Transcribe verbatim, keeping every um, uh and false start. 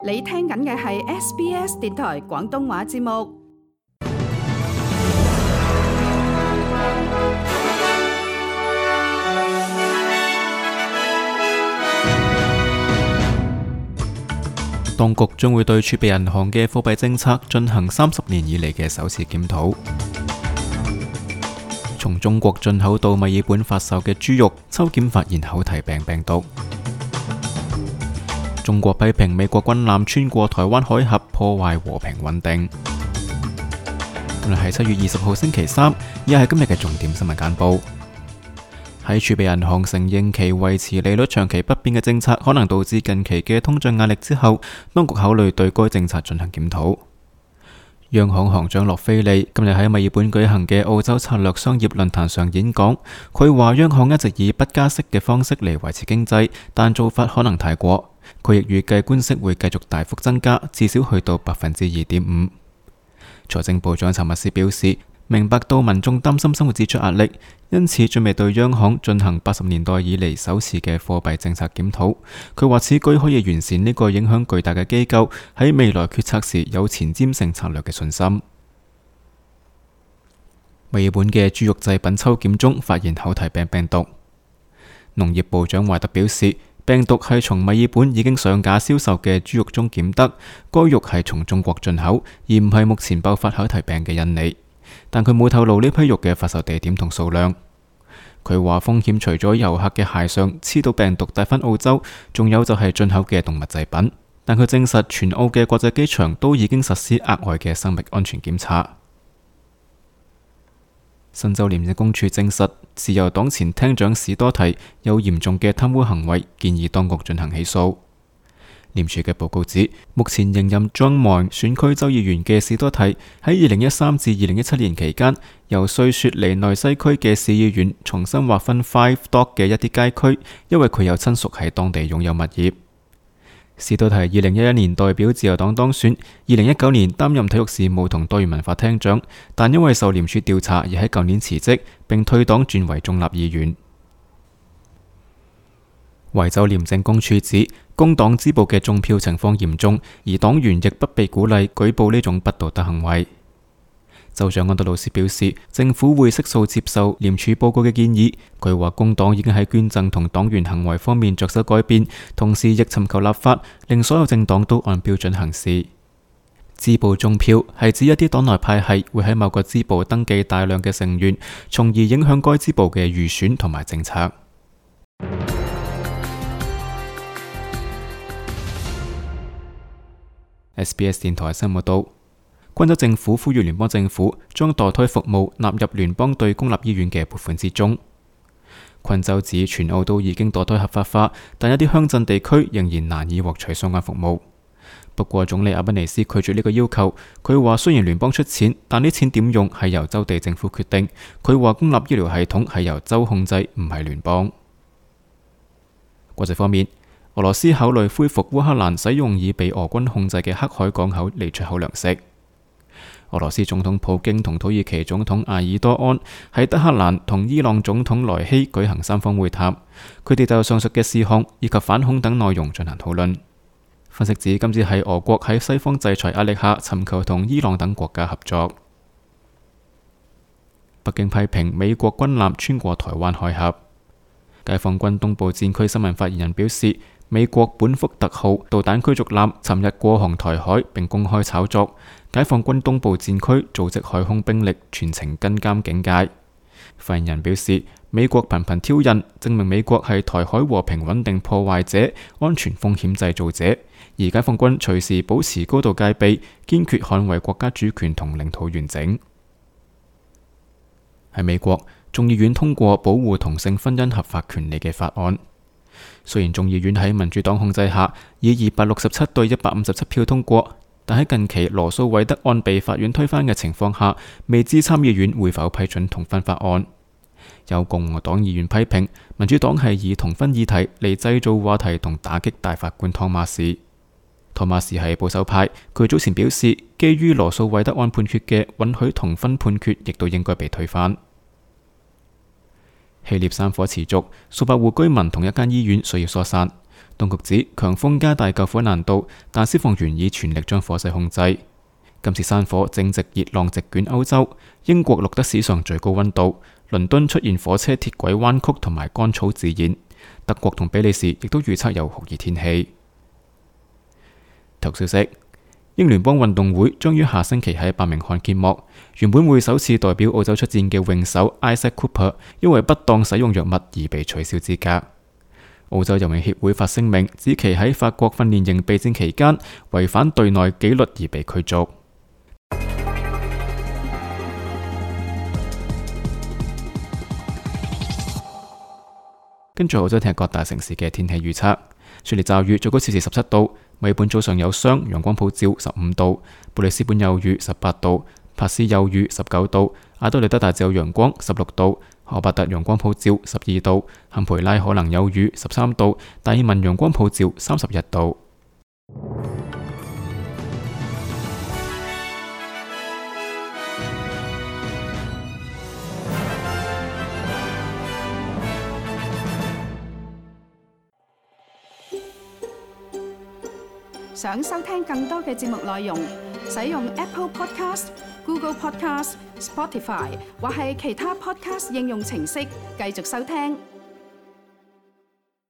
你聽緊嘅係 S B S 電台廣東話節目。當局將會對儲備銀行嘅貨幣政策進行三十年以嚟嘅首次檢討。從中國進口到墨爾本發售嘅豬肉抽檢發現口蹄病病毒。中國批評美國軍艦穿過台灣海峽破壞和平穩定。今日係七月二十號星期三，以下係今日嘅重點新聞簡報。喺儲備銀行承認其維持利率長期不變嘅政策可能導致近期嘅通脹壓力之後，當局考慮對該政策進行檢討。央行行長洛菲利今日喺墨爾本舉行嘅澳洲策略商業論壇上演講，佢話央行一直以不加息嘅方式嚟維持經濟，但做法可能太過。佢亦預計官息會繼續大幅增加，至少去到百分之二點五。財政部長查密斯表示，明白到民眾擔心生活支出壓力，因此準備對央行進行八十年代以嚟首次嘅貨幣政策檢討。佢話此舉可以完善呢個影響巨大嘅機構喺未來決策時有前瞻性策略嘅信心。墨爾本嘅豬肉製品抽檢中發現口蹄病病毒。農業部長懷特表示，病毒係從墨爾本已經上架銷售嘅豬肉中檢得，該肉係從中國進口，而唔係目前爆發口蹄病嘅印尼。但佢冇透露呢批肉嘅發售地點同數量。佢話風險除咗遊客嘅鞋上黐到病毒帶返澳洲，仲有就係進口嘅動物製品。但佢證實全澳嘅國際機場都已經實施額外嘅生命安全檢查。新州廉政公署證實，自由黨前廳長史多提有嚴重嘅貪污行為，建議當局進行起訴。廉署嘅報告指，目前仍任莊門選區州議員嘅史多提喺二零一三至二零一七年期間，由瑞雪梨內西區嘅市議員重新劃分 Five Dock 嘅一啲街區，因為佢有親屬喺當地擁有物業。史多提二零一一年代表自由黨當選，二零一九年擔任體育事務同多元文化廳長，但因為受廉署調查而喺舊年辭職，並退黨轉為中立議員。維州廉政公署指，工黨支部嘅中票情況嚴重，而黨員亦不被鼓勵舉報呢種不道德行為。州長安德魯斯表示，政府會悉數接受廉署報告嘅建議。佢話工黨已經喺捐贈同黨員行為方面着手改變，同時亦尋求立法，令所有政黨都按標準行事。支部中票係指一啲黨內派系會喺某個支部登記大量嘅成員，從而影響該支部嘅預選同埋政策。S B S 電台新聞道，昆州政府呼籲聯邦政府將墮胎服務納入聯邦對公立醫院嘅撥款之中。昆州指全澳都已經墮胎合法化，但一啲鄉鎮地區仍然難以獲取相關服務。不過總理阿賓尼斯拒絕呢個要求，佢話雖然聯邦出錢，但啲錢點用係由州地政府決定。佢話公立醫療系統係由州控制，唔係聯邦。國際方面，俄羅斯考慮恢復烏克蘭使用已被俄軍控制嘅黑海港口嚟出口糧食。俄羅斯總統普京同土耳其總統埃爾多安喺德黑蘭同伊朗總統萊希舉行三方會談，佢哋就上述嘅事項以及反恐等內容進行討論。分析指今次係俄國喺西方制裁壓力下尋求同伊朗等國家合作。北京批評美國軍艦穿過台灣海峽。解放軍東部戰區新聞發言人表示，美國本福特號導彈驅逐艦尋日過航台海並公開炒作，解放軍東部戰區組織海空兵力全程跟監警戒。發言人表示，美國頻頻挑釁，證明美國係台海和平穩定破壞者、安全風險製造者，而解放軍隨時保持高度戒備，堅決捍衛國家主權同領土完整。喺美國，眾議院通過保護同性婚姻合法權利嘅法案。雖然眾議院喺民主黨控制下以二百六十七對一百五十七票通過，但喺近期羅素韋德案被法院推翻嘅情況下，未知參議院會否批准同婚法案。有共和黨議員批評民主黨係以同婚議題嚟製造話題同打擊大法官湯馬士。湯馬士係保守派，佢早前表示，基於羅素韋德案判決嘅允許同婚判決亦都應該被推翻。希臘山火持續，數百戶居民同一間醫院需要疏散。當局指強風加大救火難度，但消防員已全力將火勢控制。今次山火正值熱浪席捲歐洲，英國錄得史上最高溫度，倫敦出現火車鐵軌彎曲同埋乾草自燃，德國同比利時亦都預測有酷熱天氣。頭消息：英聯邦運動會將於下星期喺伯明翰揭幕，原本會首次代表澳洲出戰嘅泳手 Isaac Cooper 因為不當使用藥物而被取消資格。澳洲游泳協會發聲明指其喺法國訓練營備戰期間違反隊內紀律而被驅逐。跟住澳洲聽日各大城市嘅天氣預測：雪梨驟雨，最高攝氏十七度；墨爾本早上有霜，陽光普照，十五度；布里斯本有雨，十八度；帕斯有雨，十九度；阿德利德大致有陽光，十六度；荷伯特陽光普照，十二度；坎培拉可能有雨，十三度；達爾文陽光普照，三十一度。想收聽更多嘅節目內容，使用 Apple Podcast、Google Podcast、Spotify 或係其他 Podcast 應用程式繼續收聽。